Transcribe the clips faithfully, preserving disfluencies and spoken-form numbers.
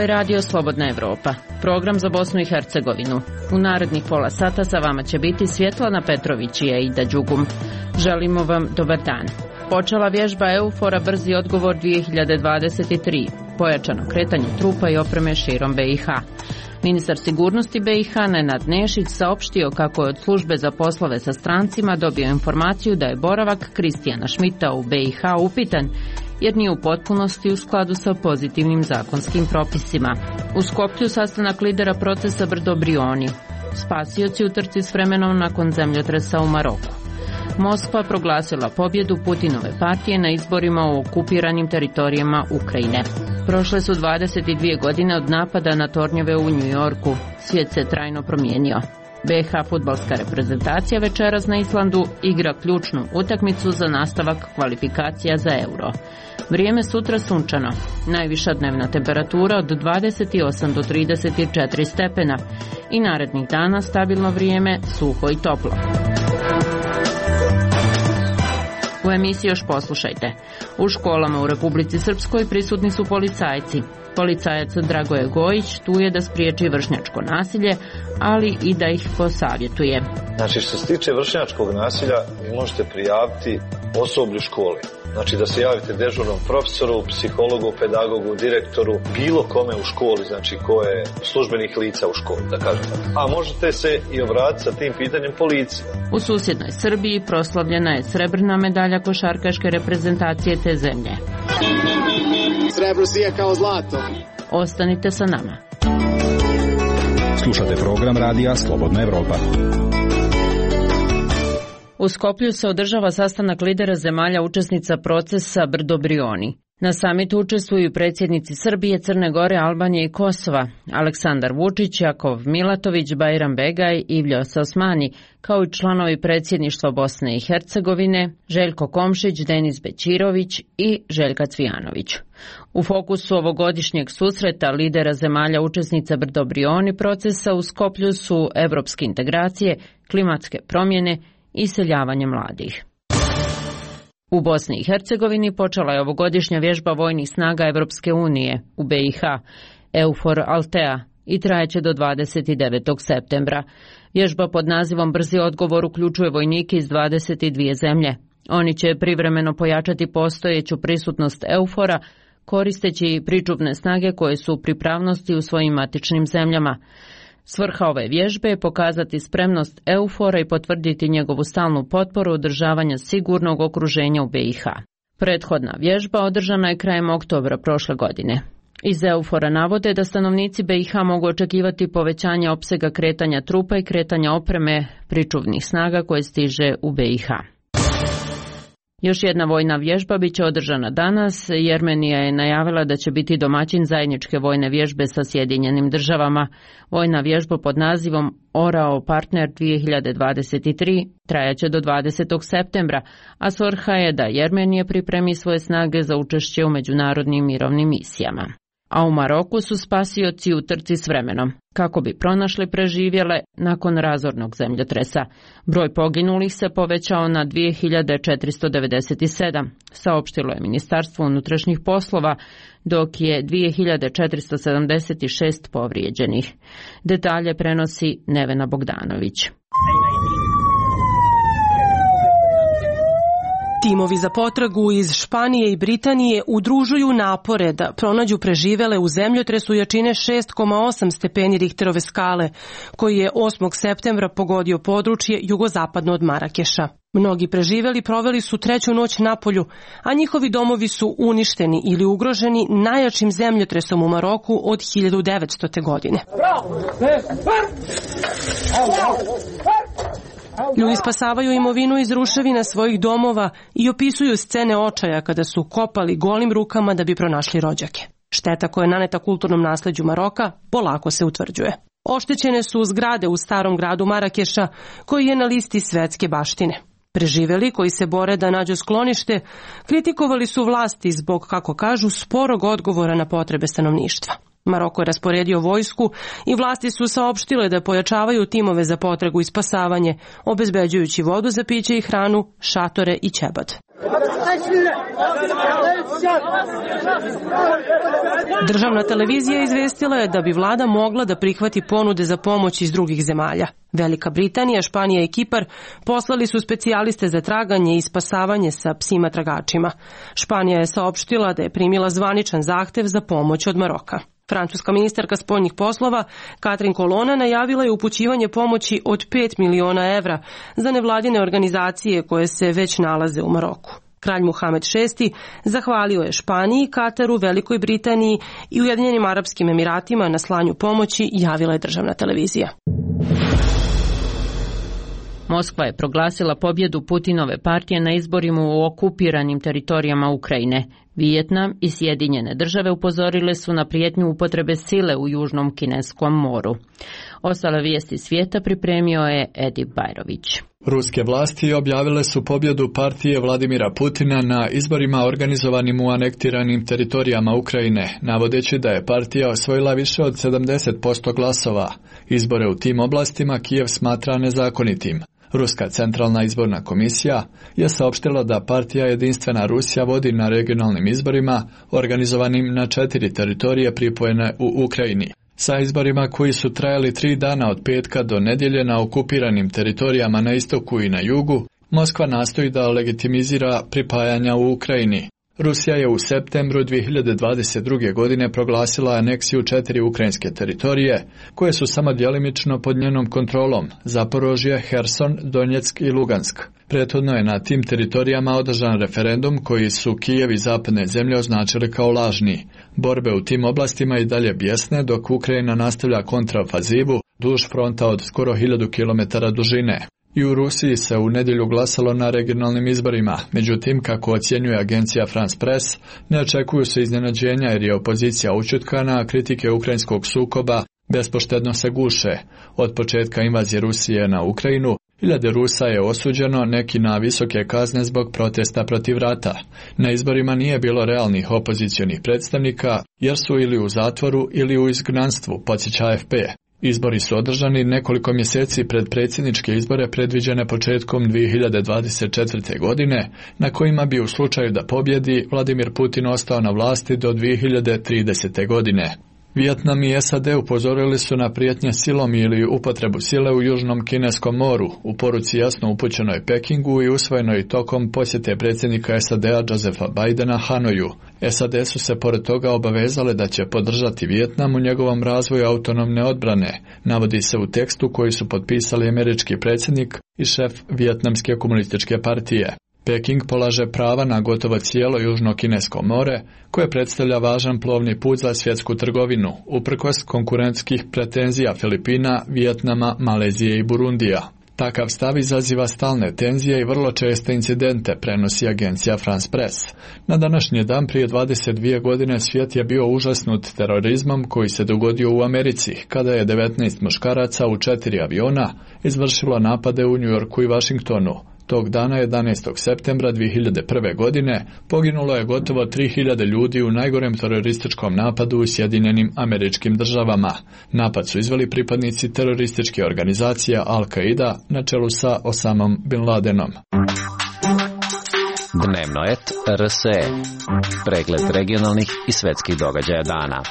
je Radio Slobodna Evropa, program za Bosnu i Hercegovinu. U narednih pola sata sa vama će biti Svjetlana Petrović i Eida Đugum. Želimo vam dobar dan. Počela vježba EUFOR-a Brzi odgovor dvije hiljade dvadeset tri, pojačano kretanje trupa i opreme širom B i H. Ministar sigurnosti B i H Nenad Nešić saopštio kako je od službe za poslove sa strancima dobio informaciju da je boravak Kristijana Šmita u B i H upitan, jer nije u potpunosti u skladu sa pozitivnim zakonskim propisima. U Skoplju sastanak lidera procesa Brdo Brioni. Spasioci u trci s vremenom nakon zemljotresa u Maroku. Moskva proglasila pobjedu Putinove partije na izborima u okupiranim teritorijama Ukrajine. Prošle su dvadeset dvije godine od napada na tornjeve u New Yorku. Svijet se trajno promijenio. B i H fudbalska reprezentacija večeras na Islandu igra ključnu utakmicu za nastavak kvalifikacija za Euro. Vrijeme sutra sunčano. Najviša dnevna temperatura od dvadeset osam do trideset četiri stepena i narednih dana stabilno vrijeme, suho i toplo. U emisiji još poslušajte. U školama u Republici Srpskoj prisutni su policajci. Policajac Dragoje Gojić tu je da spriječi vršnjačko nasilje, ali i da ih posavjetuje. Znači, što se tiče vršnjačkog nasilja, vi možete prijaviti osoblju škole. Znači da se javite dežurnom profesoru, psihologu, pedagogu, direktoru, bilo kome u školi, znači ko je službenih lica u školi, da kažem tako. A možete se i obratiti sa tim pitanjem policiji. U susjednoj Srbiji proslavljena je srebrna medalja košarkaške reprezentacije te zemlje. Srebro sije kao zlato. Ostanite sa nama. Slušate program radija Slobodna Evropa. U Skoplju se održava sastanak lidera zemalja učesnica procesa Brdo Brioni. Na samitu učestvuju predsjednici Srbije, Crne Gore, Albanije i Kosova, Aleksandar Vučić, Jakov Milatović, Bajram Begaj, Ivljo Osmani, kao i članovi predsjedništva Bosne i Hercegovine, Željko Komšić, Denis Bećirović i Željka Cvijanović. U fokusu ovogodišnjeg susreta lidera zemalja učesnica Brdo Brioni procesa u Skoplju su evropske integracije, klimatske promjene i iseljavanje mladih. U Bosni i Hercegovini počela je ovogodišnja vježba vojnih snaga Evropske unije u B i H, EUFOR Altea, i trajeće do dvadeset devetog septembra. Vježba pod nazivom Brzi odgovor uključuje vojnike iz dvadeset dvije zemlje. Oni će privremeno pojačati postojeću prisutnost EUFOR-a, koristeći pričuvne snage koje su u pripravnosti u svojim matičnim zemljama. Svrha ove vježbe je pokazati spremnost EUFOR-a i potvrditi njegovu stalnu potporu održavanja sigurnog okruženja u B i H. Prethodna vježba održana je krajem oktobra prošle godine. Iz EUFOR-a navode da stanovnici B i H mogu očekivati povećanje opsega kretanja trupa i kretanja opreme pričuvnih snaga koje stiže u B i H. Još jedna vojna vježba bit će održana danas. Jermenija je najavila da će biti domaćin zajedničke vojne vježbe sa Sjedinjenim državama. Vojna vježba pod nazivom Orao Partner dvije hiljade dvadeset tri trajaće do dvadesetog septembra, a svrha je da Jermenija pripremi svoje snage za učešće u međunarodnim mirovnim misijama. A u Maroku su spasioci u trci s vremenom, kako bi pronašli preživjele nakon razornog zemljotresa. Broj poginulih se povećao na dvije hiljade četiristo devedeset sedam, saopštilo je Ministarstvo unutrašnjih poslova, dok je dvije hiljade četiristo sedamdeset šest povrijeđenih. Detalje prenosi Nevena Bogdanović. Timovi za potragu iz Španije i Britanije udružuju napore da pronađu preživele u zemljotresu jačine šest zarez osam stepeni Richterove skale, koji je osmog septembra pogodio područje jugozapadno od Marakeša. Mnogi preživeli proveli su treću noć napolju, a njihovi domovi su uništeni ili ugroženi najjačim zemljotresom u Maroku od hiljadu devetstote. godine. Ljudi spasavaju imovinu iz ruševina svojih domova i opisuju scene očaja kada su kopali golim rukama da bi pronašli rođake. Šteta koja je naneta kulturnom nasleđu Maroka polako se utvrđuje. Oštećene su zgrade u starom gradu Marakeša, koji je na listi svetske baštine. Preživeli, koji se bore da nađu sklonište, kritikovali su vlasti zbog, kako kažu, sporog odgovora na potrebe stanovništva. Maroko je rasporedio vojsku i vlasti su saopštile da pojačavaju timove za potragu i spasavanje, obezbeđujući vodu za piće i hranu, šatore i ćebad. Državna televizija izvestila je da bi vlada mogla da prihvati ponude za pomoć iz drugih zemalja. Velika Britanija, Španija i Kipar poslali su specijaliste za traganje i spasavanje sa psima tragačima. Španija je saopštila da je primila zvaničan zahtev za pomoć od Maroka. Francuska ministarka spoljnih poslova Catherine Colonna najavila je upućivanje pomoći od pet miliona evra za nevladine organizacije koje se već nalaze u Maroku. Kralj Muhamed šesti zahvalio je Španiji, Kataru, Velikoj Britaniji i Ujedinjenim Arapskim Emiratima na slanju pomoći, javila je državna televizija. Moskva je proglasila pobjedu Putinove partije na izborima u okupiranim teritorijama Ukrajine. Vijetnam i Sjedinjene države upozorile su na prijetnju upotrebe sile u Južnom Kineskom moru. Ostale vijesti svijeta pripremio je Edi Bajrović. Ruske vlasti objavile su pobjedu partije Vladimira Putina na izborima organizovanim u anektiranim teritorijama Ukrajine, navodeći da je partija osvojila više od sedamdeset posto glasova. Izbore u tim oblastima Kijev smatra nezakonitim. Ruska centralna izborna komisija je saopštila da partija Jedinstvena Rusija vodi na regionalnim izborima organizovanim na četiri teritorije pripojene u Ukrajini. Sa izborima koji su trajali tri dana od petka do nedjelje na okupiranim teritorijama na istoku i na jugu, Moskva nastoji da legitimizira pripajanja u Ukrajini. Rusija je u septembru dvije hiljade dvadeset druge. godine proglasila aneksiju četiri ukrajinske teritorije, koje su samo djelimično pod njenom kontrolom: Zaporožje, Herson, Donjeck i Lugansk. Prethodno je na tim teritorijama održan referendum koji su Kijev i zapadne zemlje označili kao lažni. Borbe u tim oblastima i dalje bijesne, dok Ukrajina nastavlja kontraofazivu duž fronta od skoro hiljadu kilometara dužine. I u Rusiji se u nedjelju glasalo na regionalnim izborima, međutim, kako ocjenjuje agencija France Press, ne očekuju se iznenađenja jer je opozicija ućutkana, a kritike ukrajinskog sukoba bespoštedno se guše. Od početka invazije Rusije na Ukrajinu, hiljade Rusa je osuđeno, neki na visoke kazne zbog protesta protiv rata. Na izborima nije bilo realnih opozicionih predstavnika, jer su ili u zatvoru ili u izgnanstvu, podsjeća A F P. Izbori su održani nekoliko mjeseci pred predsjedničke izbore predviđene početkom dvije hiljade dvadeset četvrte. godine, na kojima bi u slučaju da pobjedi Vladimir Putin ostao na vlasti do dvije hiljade tridesete. godine. Vijetnam i S A D upozorili su na prijetnje silom ili upotrebu sile u Južnom Kineskom moru, u poruci jasno upućenoj Pekingu i usvojenoj tokom posjete predsjednika S A D-a Josepha Bidena Hanoju. S A D su se pored toga obavezale da će podržati Vijetnam u njegovom razvoju autonomne odbrane, navodi se u tekstu koji su potpisali američki predsjednik i šef Vijetnamske komunističke partije. Peking polaže prava na gotovo cijelo Južno Kinesko more, koje predstavlja važan plovni put za svjetsku trgovinu, uprkos konkurentskih pretenzija Filipina, Vijetnama, Malezije i Burundija. Takav stav izaziva stalne tenzije i vrlo česte incidente, prenosi agencija France Press. Na današnji dan prije dvadeset dvije godine svijet je bio užasnut terorizmom koji se dogodio u Americi, kada je devetnaest muškaraca u četiri aviona izvršilo napade u New Yorku i Washingtonu. Tog dana, jedanaestog septembra dvije hiljade prve. godine, poginulo je gotovo tri hiljade ljudi u najgorem terorističkom napadu u Sjedinjenim Američkim Državama. Napad su izveli pripadnici terorističke organizacije Al-Qaida na čelu sa Osamom Bin Ladenom. Dnevnoet R S E. Pregled regionalnih i svetskih događaja dana.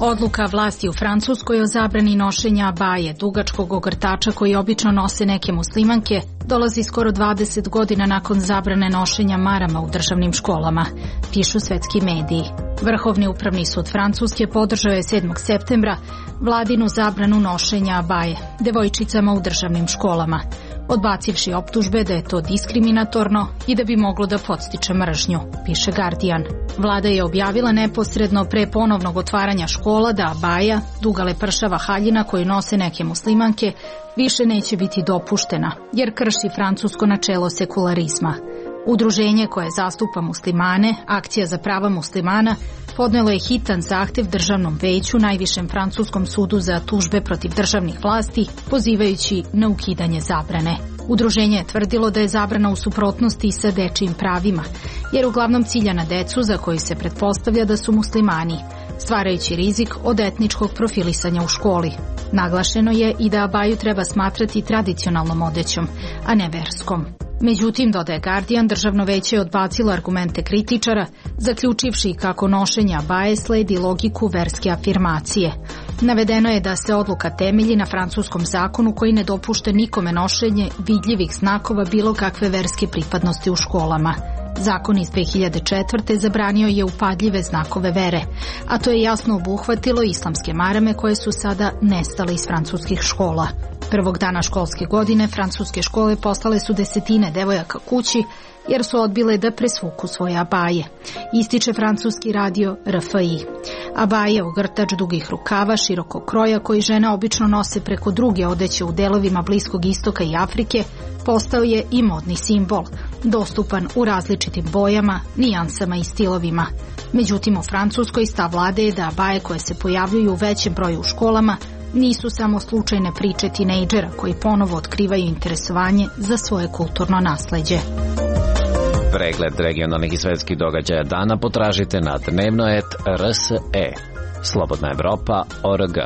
Odluka vlasti u Francuskoj o zabrani nošenja abaje, dugačkog ogrtača koji obično nose neke muslimanke, dolazi skoro dvadeset godina nakon zabrane nošenja marama u državnim školama, pišu svetski mediji. Vrhovni upravni sud Francuske podržao je sedmog septembra vladinu zabranu nošenja abaje devojčicama u državnim školama, odbacivši optužbe da je to diskriminatorno i da bi moglo da podstiče mržnju, piše Guardian. Vlada je objavila neposredno pre ponovnog otvaranja škola da abaja, duga lepršava haljina koju nose neke muslimanke, više neće biti dopuštena, jer krši francusko načelo sekularizma. Udruženje koje zastupa muslimane, Akcija za prava muslimana, podnelo je hitan zahtev državnom veću, najvišem francuskom sudu za tužbe protiv državnih vlasti, pozivajući na ukidanje zabrane. Udruženje je tvrdilo da je zabrana u suprotnosti sa dečijim pravima, jer uglavnom cilja na decu za koju se pretpostavlja da su muslimani, stvarajući rizik od etničkog profilisanja u školi. Naglašeno je i da abaju treba smatrati tradicionalnom odećom, a ne verskom. Međutim, dodaje Guardian, državno veće je odbacilo argumente kritičara, zaključivši kako nošenje abaje sledi logiku verske afirmacije. Navedeno je da se odluka temelji na francuskom zakonu koji ne dopušta nikome nošenje vidljivih znakova bilo kakve verske pripadnosti u školama. Zakon iz dve hiljade četvrte. zabranio je upadljive znakove vere, a to je jasno obuhvatilo islamske marame koje su sada nestale iz francuskih škola. Prvog dana školske godine francuske škole poslale su desetine devojaka kući jer su odbile da presvuku svoje abaje. Ističe francuski radio R F I. Abaje, ogrtač dugih rukava, širokog kroja koji žene obično nose preko druge odeće u delovima Bliskog istoka i Afrike, postao je i modni simbol, dostupan u različitim bojama, nijansama i stilovima. Međutim, u Francuskoj stav vlade je da abaje koje se pojavljuju u većem broju u školama nisu samo slučajne priče tinejdžera koji ponovo otkrivaju interesovanje za svoje kulturno nasleđe. Pregled regionalnih i svetskih događaja dana potražite na dnevnoet R S E. Slobodna Evropa O R G.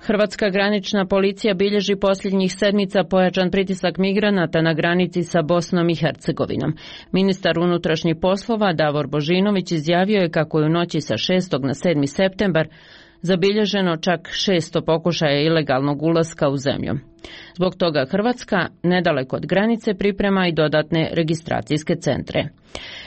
Hrvatska granična policija bilježi posljednjih sedmica pojačan pritisak migranata na granici sa Bosnom i Hercegovinom. Ministar unutrašnjih poslova Davor Božinović izjavio je kako je u noći sa šestog na sedmi septembar zabilježeno čak šesto pokušaja ilegalnog ulaska u zemlju. Zbog toga Hrvatska nedaleko od granice priprema i dodatne registracijske centre.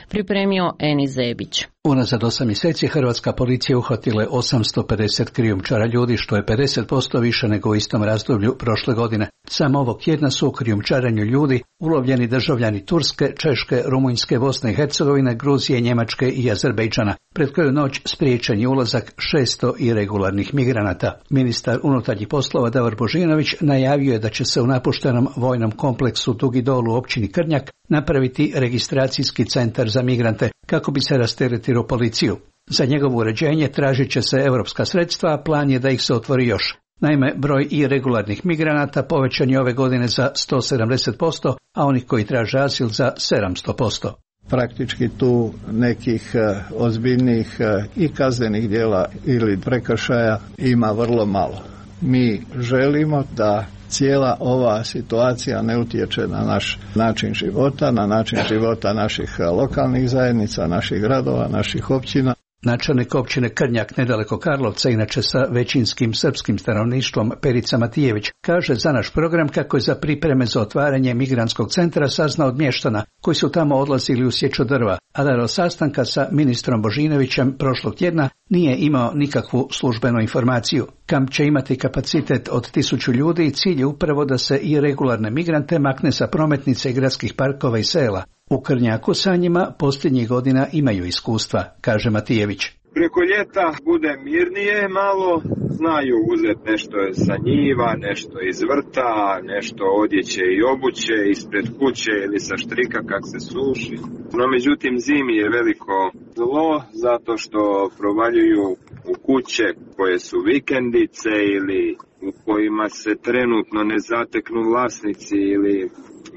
Pripremio Eni Zebić. Unazad osam mjeseci hrvatska policija uhvatila je osamsto pedeset krijumčara ljudi, što je pedeset posto više nego u istom razdoblju prošle godine. Samo ovog tjedna su u krijumčarenju ljudi ulovljeni državljani Turske, Češke, Rumunjske, Bosne i Hercegovine, Gruzije, Njemačke i Azerbejdžana. Pred koju noć spriječen je ulazak šesto iregularnih migranata. Ministar unutarnjih poslova Davor Božinović najavio je da će se u napuštenom vojnom kompleksu Dugi Dol u općini Krnjak napraviti registracijski centar za migrante kako bi se rasteretilo policiju. Za njegovo uređenje tražit će se europska sredstva, a plan je da ih se otvori još. Naime, broj iregularnih migranata povećan je ove godine za sto sedamdeset posto, a onih koji traže azil za sedamsto posto. Praktički tu nekih ozbiljnih i kaznenih djela ili prekršaja ima vrlo malo. Mi želimo da cijela ova situacija ne utječe na naš način života, na način života naših lokalnih zajednica, naših gradova, naših općina. Načelnik općine Krnjak nedaleko Karlovca, inače sa većinskim srpskim stanovništvom, Perica Matijević, kaže za naš program kako je za pripreme za otvaranje migrantskog centra saznao od mještana koji su tamo odlazili u sječu drva, a da do sastanka sa ministrom Božinovićem prošlog tjedna nije imao nikakvu službenu informaciju. Kamp će imati kapacitet od tisuću ljudi i cilj je upravo da se i regularne migrante makne sa prometnice i gradskih parkova i sela. U Krnjaku sa njima posljednjih godina imaju iskustva, kaže Matijević. Preko ljeta bude mirnije malo, znaju uzeti nešto sa njiva, nešto iz vrta, nešto odjeće i obuće ispred kuće ili sa štrika kak se suši. No međutim zimi je veliko zlo zato što provaljuju u kuće koje su vikendice ili u kojima se trenutno ne zateknu vlasnici ili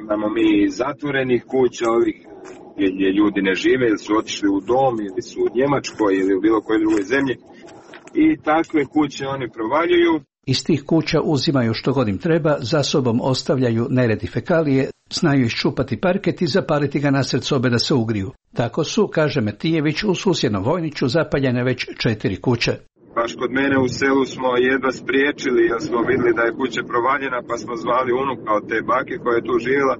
imamo mi zatvorenih kuća ovih gdje ljudi ne žive ili su otišli u dom ili su u Njemačkoj ili u bilo kojoj drugoj zemlji i takve kuće oni provaljuju. Iz tih kuća uzimaju što god im treba, za sobom ostavljaju nered i fekalije, znaju iščupati parket i zapaliti ga nasred sobe da se ugriju. Tako su, kaže Matijević, u susjednom Vojniću zapaljene već četiri kuće. Baš kod mene u selu smo jedva spriječili jer smo vidjeli da je kuća provaljena pa smo zvali unuka od te bake koja je tu živjela.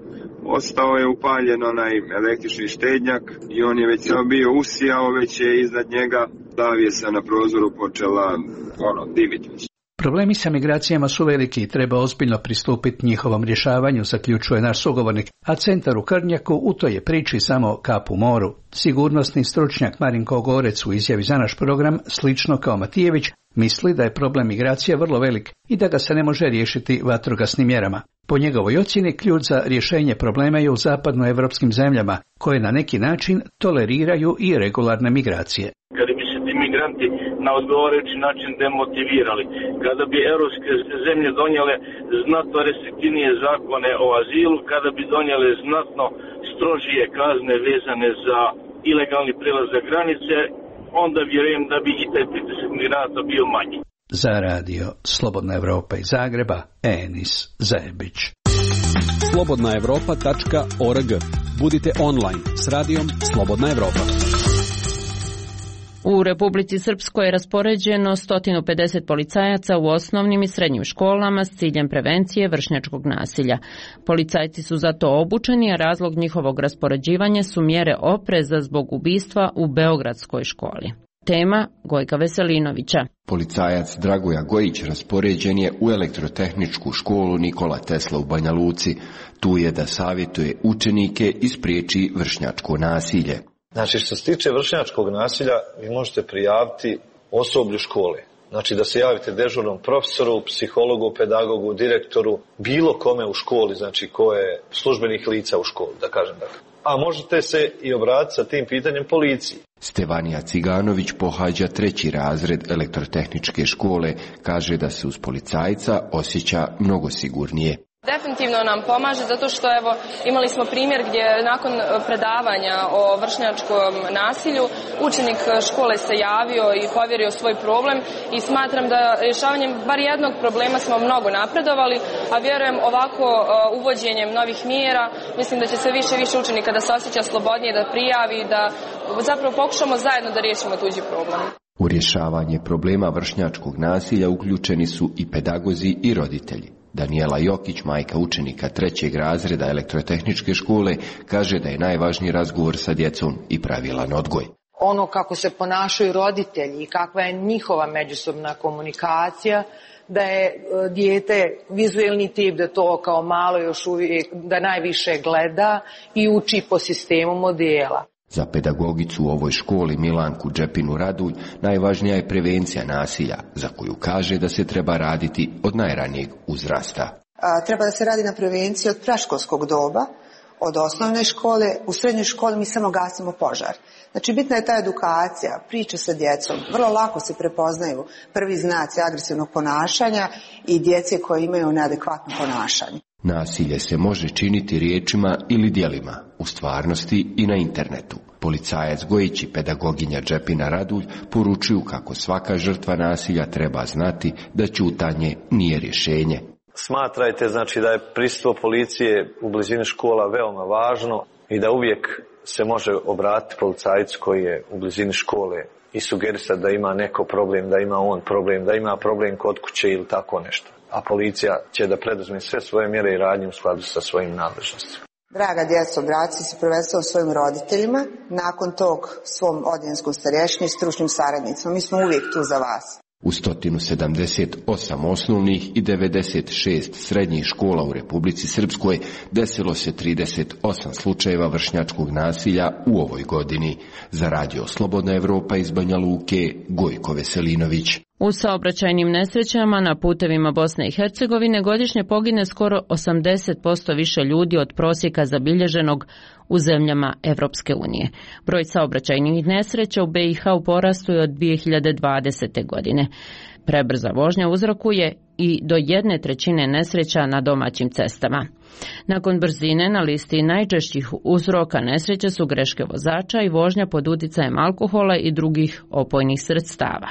Ostao je upaljen onaj električni štednjak i on je već samo bio usijao, već je iznad njega zavjesa na prozoru počela ono, diviti. Problemi sa migracijama su veliki i treba ozbiljno pristupiti njihovom rješavanju, zaključuje naš sugovornik, a centar u Krnjaku u toj je priči samo kap u moru. Sigurnosni stručnjak Marinko Gorec u izjavi za naš program, slično kao Matijević, misli da je problem migracija vrlo velik i da ga se ne može riješiti vatrogasnim mjerama. Po njegovoj ocjeni ključ za rješenje problema je u zapadnoevropskim zemljama, koje na neki način toleriraju i regularne migracije. Kada bi se ti migranti na odgovarajući način demotivirali, kada bi europske zemlje donijele znatno restriktivnije zakone o azilu, kada bi donijele znatno strožije kazne vezane za ilegalni prelazak granice, onda vjerujem da bi i taj pritisak migranata bio manji. Za radio Slobodna Evropa iz Zagreba, Enis Zajebić. slobodna evropa tačka org. Budite online s radijom Slobodna Evropa. U Republici Srpskoj je raspoređeno sto pedeset policajaca u osnovnim i srednjim školama s ciljem prevencije vršnjačkog nasilja. Policajci su za to obučeni, a razlog njihovog raspoređivanja su mjere opreza zbog ubistva u beogradskoj školi. Tema Gojka Veselinovića. Policajac Dragoja Gojić raspoređen je u elektrotehničku školu Nikola Tesla u Banja Luci. Tu je da savjetuje učenike i spriječi vršnjačko nasilje. Znači, što se tiče vršnjačkog nasilja, vi možete prijaviti osoblju škole. Znači, da se javite dežurnom profesoru, psihologu, pedagogu, direktoru, bilo kome u školi, znači ko je službenih lica u školi, da kažem tako. A možete se i obratiti sa tim pitanjem policiji. Stevanija Ciganović pohađa treći razred elektrotehničke škole, kaže da se uz policajca osjeća mnogo sigurnije. Definitivno nam pomaže zato što evo imali smo primjer gdje nakon predavanja o vršnjačkom nasilju učenik škole se javio i povjerio svoj problem i smatram da rješavanjem bar jednog problema smo mnogo napredovali, a vjerujem ovako uvođenjem novih mjera mislim da će se više i više učenika da se osjeća slobodnije, da prijavi, da zapravo pokušamo zajedno da riješimo tuđi problem. U rješavanje problema vršnjačkog nasilja uključeni su i pedagozi i roditelji. Daniela Jokić, majka učenika trećeg razreda elektrotehničke škole, kaže da je najvažniji razgovor sa djecom i pravilan odgoj. Ono kako se ponašaju roditelji i kakva je njihova međusobna komunikacija, da je dijete vizuelni tip, da to kao malo još uvijek, da najviše gleda i uči po sistemu modela. Za pedagogicu u ovoj školi Milanku Džepinu Radulj najvažnija je prevencija nasilja, za koju kaže da se treba raditi od najranijeg uzrasta. A, treba da se radi na prevenciji od predškolskog doba, od osnovne škole. U srednjoj školi mi samo gasimo požar. Znači bitna je ta edukacija, priče sa djecom. Vrlo lako se prepoznaju prvi znaci agresivnog ponašanja i djece koje imaju neadekvatno ponašanje. Nasilje se može činiti riječima ili djelima, u stvarnosti i na internetu. Policajac Gojić i pedagoginja Džepina Radulj poručuju kako svaka žrtva nasilja treba znati da ćutanje nije rješenje. Smatrajte znači da je prisustvo policije u blizini škola veoma važno i da uvijek se može obratiti policajcu koji je u blizini škole i sugerisati da ima neko problem, da ima on problem, da ima problem kod kuće ili tako nešto. A policija će da preduzme sve svoje mjere i radnje u skladu sa svojim nadležnostima. Draga djeco, obratite se prvenstveno svojim roditeljima, nakon tog svom odjenskom starješini i stručnim saradnicima. Mi smo uvijek tu za vas. U sto sedamdeset osam osnovnih i devedeset šest srednjih škola u Republici Srpskoj desilo se trideset osam slučajeva vršnjačkog nasilja u ovoj godini. Za radio Slobodna Evropa iz Banja Luke, Gojko Veselinović. U saobraćajnim nesrećama na putevima Bosne i Hercegovine godišnje pogine skoro osamdeset posto više ljudi od prosjeka zabilježenog u zemljama Evropske unije. Broj saobraćajnih nesreća u B i H u porastu je od dvije hiljade dvadesete. godine. Prebrza vožnja uzrokuje i do jedne trećine nesreća na domaćim cestama. Nakon brzine na listi najčešćih uzroka nesreće su greške vozača i vožnja pod uticajem alkohola i drugih opojnih sredstava.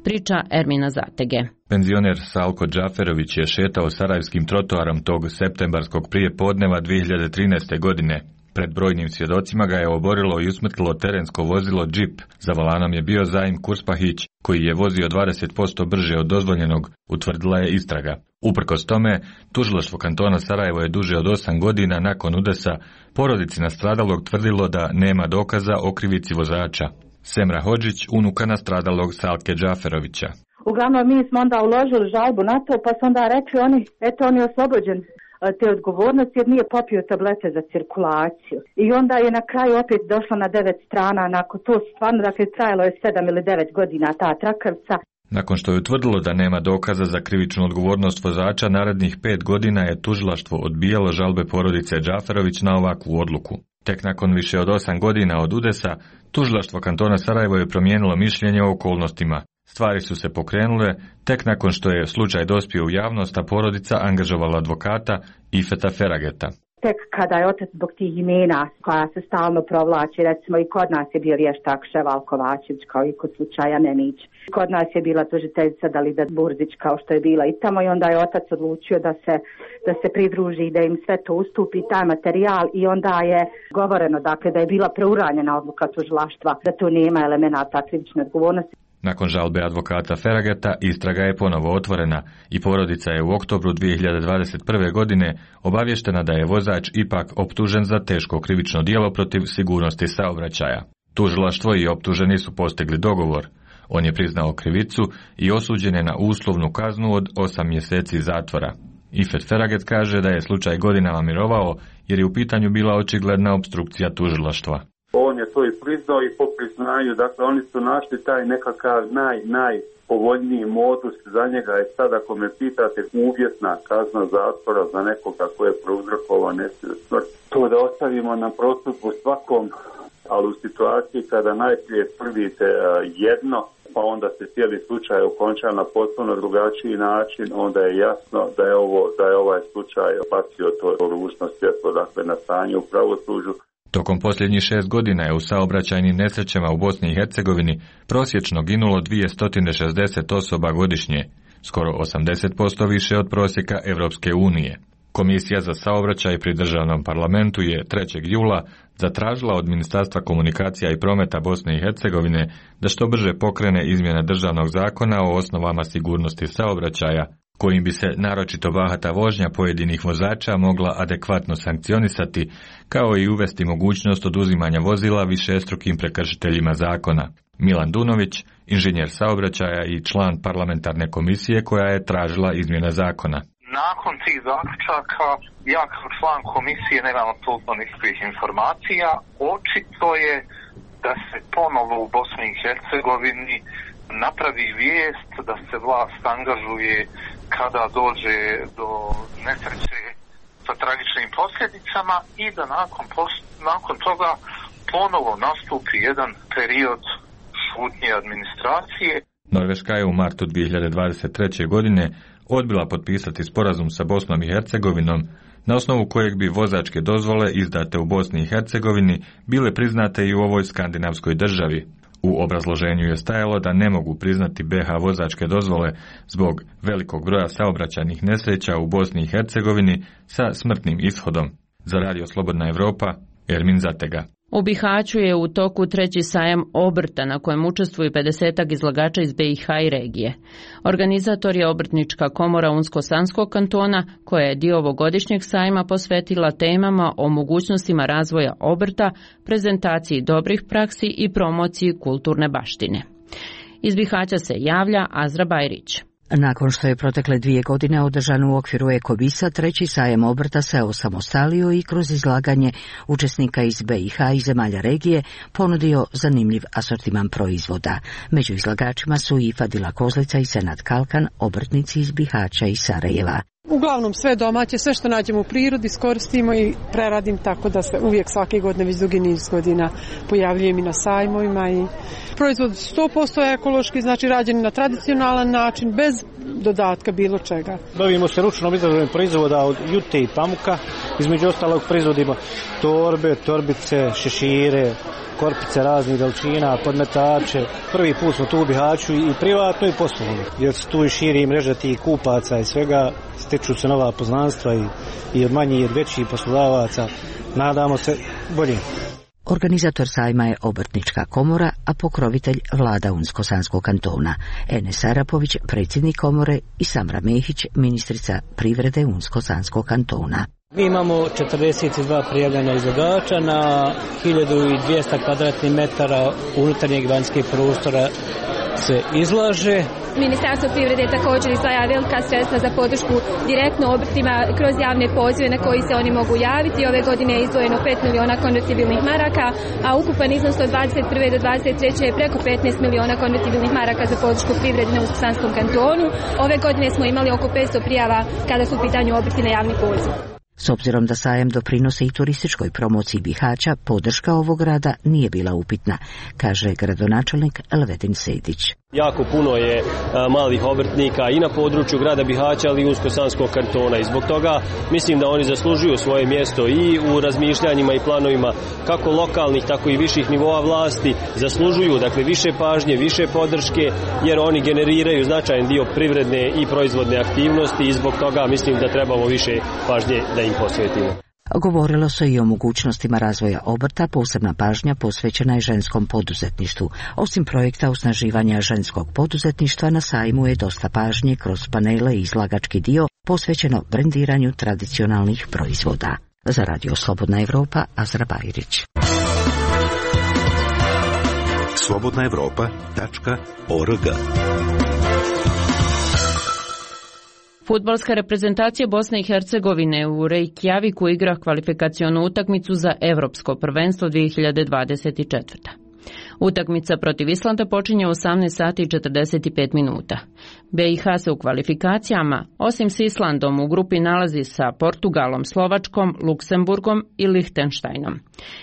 Priča Ermina Zatege. Penzioner Salko Džaferović je šetao sarajevskim trotoarom tog septembarskog prijepodneva dvije hiljade trinaeste. godine. Pred brojnim svjedocima ga je oborilo i usmrtilo terensko vozilo džip. Za volanom je bio Zaim Kurspahić, koji je vozio dvadeset posto brže od dozvoljenog, utvrdila je istraga. Uprkos tome, tužilaštvo kantona Sarajevo je duže od osam godina nakon udesa porodici nastradalog tvrdilo da nema dokaza o krivici vozača. Semra Hodžić, unuka nastradalog Salke Džaferovića. Uglavnom mi smo onda uložili žalbu na to, pa su onda rekli oni, eto on je oslobođen te odgovornosti jer nije popio tablete za cirkulaciju. I onda je na kraju opet došla na devet strana, nakon to stvarno, dakle, trajalo je sedam ili devet godina ta trakavica. Nakon što je utvrdilo da nema dokaza za krivičnu odgovornost vozača, narednih pet godina je tužilaštvo odbijalo žalbe porodice Džaferović na ovakvu odluku. Tek nakon više od osam godina od udesa, tužilaštvo kantona Sarajevo je promijenilo mišljenje o okolnostima. Stvari su se pokrenule tek nakon što je slučaj dospio u javnost, a porodica angažovala advokata Ifeta Ferageta. Tek kada je otac zbog tih imena koja se stalno provlači, recimo i kod nas je bio vještak Ševal Kovačević kao i kod slučaja Nemić. Kod nas je bila tužiteljica Dalida Burzić kao što je bila i tamo i onda je otac odlučio da se, da se pridruži i da im sve to ustupi taj materijal i onda je govoreno dakle da je bila preuranjena odluka tužilaštva da tu nema elemenata krivične odgovornosti. Nakon žalbe advokata Ferageta, istraga je ponovo otvorena i porodica je u oktobru dvije hiljade dvadeset prve. godine obavještena da je vozač ipak optužen za teško krivično djelo protiv sigurnosti saobraćaja. Tužilaštvo i optuženi su postigli dogovor. On je priznao krivicu i osuđen je na uslovnu kaznu od osam mjeseci zatvora. Ifet Feraget kaže da je slučaj godinama mirovao jer je u pitanju bila očigledna opstrukcija tužilaštva. On je to i priznao i po priznanju, dakle oni su našli taj nekakav naj, najpovoljniji modus za njega i sad ako me pitate uvjetna kazna zatvora za nekoga ko je prouzrokovao nesreću smrt. To da ostavimo na prosudbu svakom, ali u situaciji kada najprije tvrdite jedno, pa onda se cijeli slučaj okonča na potpuno drugačiji način, onda je jasno da je ovo, da je ovaj slučaj bacio to ružno svjetlo, dakle na stanje u pravosuđu. Tokom posljednjih šest godina je u saobraćajnim nesrećama u Bosni i Hercegovini prosječno ginulo dvjesto šezdeset osoba godišnje, skoro osamdeset posto više od prosjeka Europske unije. Komisija za saobraćaj pri državnom parlamentu je trećeg jula zatražila od Ministarstva komunikacija i prometa Bosne i Hercegovine da što brže pokrene izmjene državnog zakona o osnovama sigurnosti saobraćaja, kojim bi se naročito bahata vožnja pojedinih vozača mogla adekvatno sankcionisati, kao i uvesti mogućnost oduzimanja vozila višestrukim prekršiteljima zakona. Milan Dunović, inženjer saobraćaja i član parlamentarne komisije koja je tražila izmjene zakona. Nakon tih zaključaka, ja kao član komisije nemam apsolutno nikakvih informacija. Očito je da se ponovo u Bosni i Hercegovini napravi vijest da se vlast angažuje kada dođe do nesreće sa tragičnim posljedicama i da nakon, nakon toga ponovo nastupi jedan period šutnje administracije. Norveška je u martu dvije hiljade dvadeset treće. godine odbila potpisati sporazum sa Bosnom i Hercegovinom, na osnovu kojeg bi vozačke dozvole izdate u Bosni i Hercegovini bile priznate i u ovoj skandinavskoj državi. U obrazloženju je stajalo da ne mogu priznati be ha vozačke dozvole zbog velikog broja saobraćajnih nesreća u Bosni i Hercegovini sa smrtnim ishodom. Za Radio Slobodna Evropa, Ermin Zatega. U Bihaću je u toku treći sajam obrta na kojem učestvuju pedesetak izlagača iz be i ha i regije. Organizator je Obrtnička komora Unsko-Sanskog kantona, koja je dio ovogodišnjeg sajma posvetila temama o mogućnostima razvoja obrta, prezentaciji dobrih praksi i promociji kulturne baštine. Iz Bihaća se javlja Azra Bajrić. Nakon što je protekle dvije godine održan u okviru Ekobisa, treći sajam obrta se osamostalio i kroz izlaganje učesnika iz be i ha i zemalja regije ponudio zanimljiv asortiman proizvoda. Među izlagačima su i Fadila Kozlica i Senad Kalkan, obrtnici iz Bihaća i Sarajeva. Uglavnom sve domaće, sve što nađemo u prirodi iskoristimo i preradim, tako da se uvijek svake godine, već dugi niz godina pojavljujem i na sajmovima. I proizvod sto posto ekološki, znači rađen na tradicionalan način, bez dodatka bilo čega. Bavimo se ručnom izradom proizvoda od jute i pamuka, između ostalog proizvodimo torbe, torbice, šešire, korpice raznih veličina, podmetače. Prvi put smo tu u Bihaću i privatno i poslovno, jer se tu i širi mreža tih kupaca i svega, stiču se nova poznanstva i, i od manjih i od većih poslodavaca. Nadamo se bolje. Organizator sajma je Obrtnička komora, a pokrovitelj vlada Unsko-Sanskog kantona. Enes Arapović, predsjednik komore, i Samra Mehić, ministrica privrede Unsko-Sanskog kantona. Mi imamo četrdeset dva prijavljena izlagača na hiljadu dvjesto kvadratnih metara unutarnjeg i vanjskih prostora se izlaže. Ministarstvo privrede također izdvaja velika sredstva za podršku direktno obrtima kroz javne pozive na koji se oni mogu javiti. Ove godine je izdvojeno pet miliona konvertibilnih maraka, a ukupan iznos od dvadeset prve do dvadeset treće je preko petnaest miliona konvertibilnih maraka za podršku privrede na Unsko-Sanskom kantonu. Ove godine smo imali oko petsto prijava kada su u pitanju obrti na javni poziv. S obzirom da sajam doprinose i turističkoj promociji Bihaća, podrška ovog grada nije bila upitna, kaže gradonačelnik Elvedin Sejdić. Jako puno je a, malih obrtnika i na području grada Bihaća, ali i Usko-Sanskog kantona i zbog toga mislim da oni zaslužuju svoje mjesto i u razmišljanjima i planovima kako lokalnih, tako i viših nivoa vlasti. Zaslužuju dakle više pažnje, više podrške, jer oni generiraju značajan dio privredne i proizvodne aktivnosti i zbog toga mislim da trebamo više pažnje da im posvetimo. Govorilo se i o mogućnostima razvoja obrta, posebna pažnja posvećena je ženskom poduzetništvu. Osim projekta osnaživanja ženskog poduzetništva, na sajmu je dosta pažnje kroz panele i izlagački dio posvećeno brendiranju tradicionalnih proizvoda. Za Radio Slobodna Evropa, Azra Bajrić. slobodna evropa tačka org. Fudbalska reprezentacija Bosne i Hercegovine u Reykjaviku igra kvalifikacionu utakmicu za Evropsko prvenstvo dvije hiljade dvadeset četvrte. Utakmica protiv Islanda počinje u osamnaest sati i četrdeset pet minuta. B i H se u kvalifikacijama, osim s Islandom, u grupi nalazi sa Portugalom, Slovačkom, Luksemburgom i Lihtenštajnom.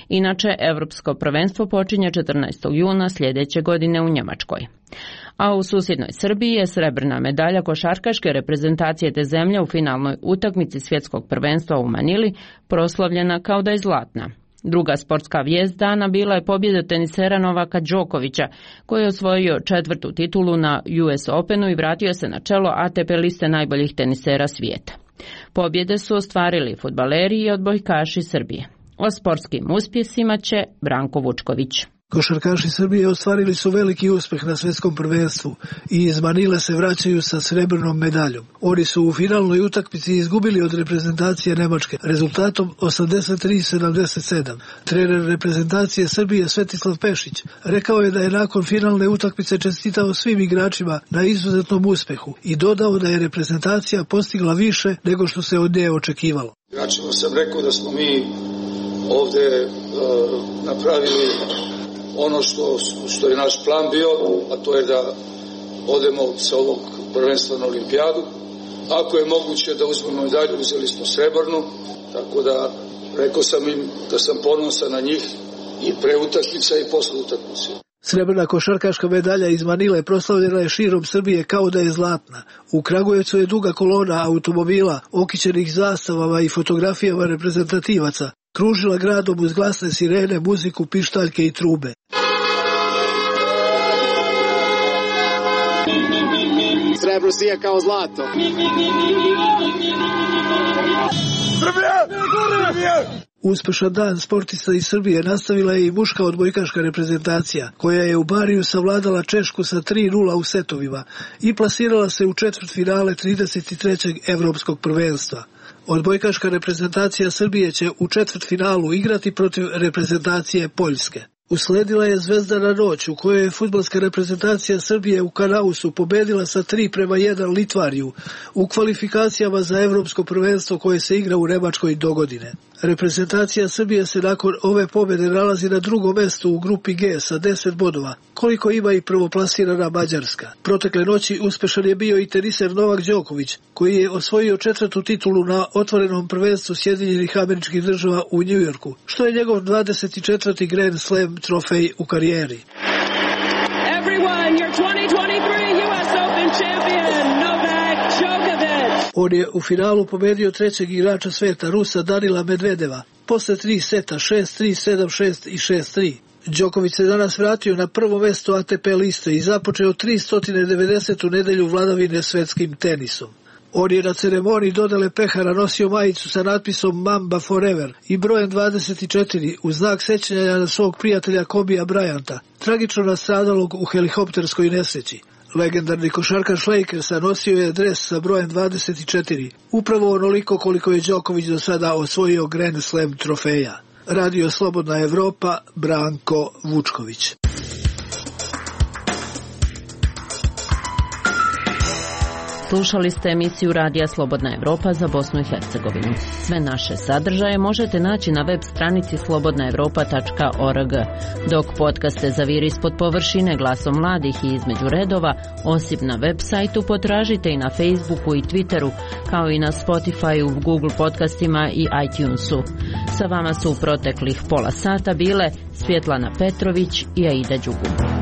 Inače, Evropsko prvenstvo počinje četrnaestog juna sljedeće godine u Njemačkoj. A u susjednoj Srbiji je srebrna medalja košarkaške reprezentacije te zemlje u finalnoj utakmici svjetskog prvenstva u Manili proslavljena kao da je zlatna. Druga sportska vijest dana bila je pobjeda tenisera Novaka Đokovića, koji je osvojio četvrtu titulu na U S Openu i vratio se na čelo A T P liste najboljih tenisera svijeta. Pobjede su ostvarili fudbaleri i odbojkaši Srbije. O sportskim uspjesima će Branko Vučković. Košarkaši Srbije ostvarili su veliki uspjeh na svjetskom prvenstvu i iz Manile se vraćaju sa srebrnom medaljom. Oni su u finalnoj utakmici izgubili od reprezentacije Nemačke rezultatom osamdeset tri sedamdeset sedam. Trener reprezentacije Srbije Svetislav Pešić rekao je da je nakon finalne utakmice čestitao svim igračima na izuzetnom uspjehu i dodao da je reprezentacija postigla više nego što se od nje očekivalo. Igračima sam rekao da smo mi ovdje uh, napravili ono što, što je naš plan bio, a to je da odemo sa ovog prvenstva na olimpijadu. Ako je moguće da uzmemo medalju, uzeli smo srebrnu, tako da rekao sam im da sam ponosan na njih i pre utakmice i posle utakmice. Srebrna košarkaška medalja iz Manile proslavljena je širom Srbije kao da je zlatna. U Kragujevcu je duga kolona automobila, okićenih zastavama i fotografijama reprezentativaca, kružila gradom uz glasne sirene, muziku, pištaljke i trube. Srebro sija kao zlato. Uspešan dan sportista iz Srbije nastavila je i muška odbojkaška reprezentacija, koja je u Bariju savladala Češku sa tri nula u setovima i plasirala se u četvrtfinale trideset trećeg Evropskog prvenstva. Odbojkaška reprezentacija Srbije će u četvrtfinalu igrati protiv reprezentacije Poljske. Usledila je zvezdana noć u kojoj je fudbalska reprezentacija Srbije u Kanausu pobedila sa tri prema jedan Litvariju u kvalifikacijama za Evropsko prvenstvo koje se igra u Nemačkoj dogodine. Reprezentacija Srbije se nakon ove pobjede nalazi na drugom mjestu u grupi G sa deset bodova, koliko ima i prvoplasirana Mađarska. Protekle noći uspešan je bio i teniser Novak Đoković, koji je osvojio četvrtu titulu na otvorenom prvenstvu Sjedinjenih Američkih Država u Njujorku, što je njegov dvadeset četvrti Grand Slam trofej u karijeri. Everyone, your twenty twenty-three U S Open champion, Novak Djokovic. On je u finalu pobedio trećeg igrača sveta, Rusa Danila Medvedeva, posle tri seta, šest tri, sedam šest i šest tri. Đoković se danas vratio na prvo mjesto A T P liste i započeo tristo devedesetu nedelju vladavine svetskim tenisom. On je na ceremoniji dodele pehara nosio majicu sa natpisom Mamba Forever i brojem dvadeset četiri u znak sećanja na svog prijatelja Kobija Bryanta, tragično nastradalog u helikopterskoj nesreći. Legendarni košarkaš Lakersa nosio je dres sa brojem dvadeset četiri, upravo onoliko koliko je Đoković do sada osvojio Grand Slam trofeja. Radio Slobodna Evropa, Branko Vučković. Slušali ste emisiju Radija Slobodna Evropa za Bosnu i Hercegovinu. Sve naše sadržaje možete naći na web stranici slobodna evropa tačka org. Dok podcaste Zaviri ispod površine, Glasom mladih i Između redova, osim na web sajtu, potražite i na Facebooku i Twitteru, kao i na Spotifyu, Google podcastima i iTunesu. Sa vama su u proteklih pola sata bile Svjetlana Petrović i Aida Đugum.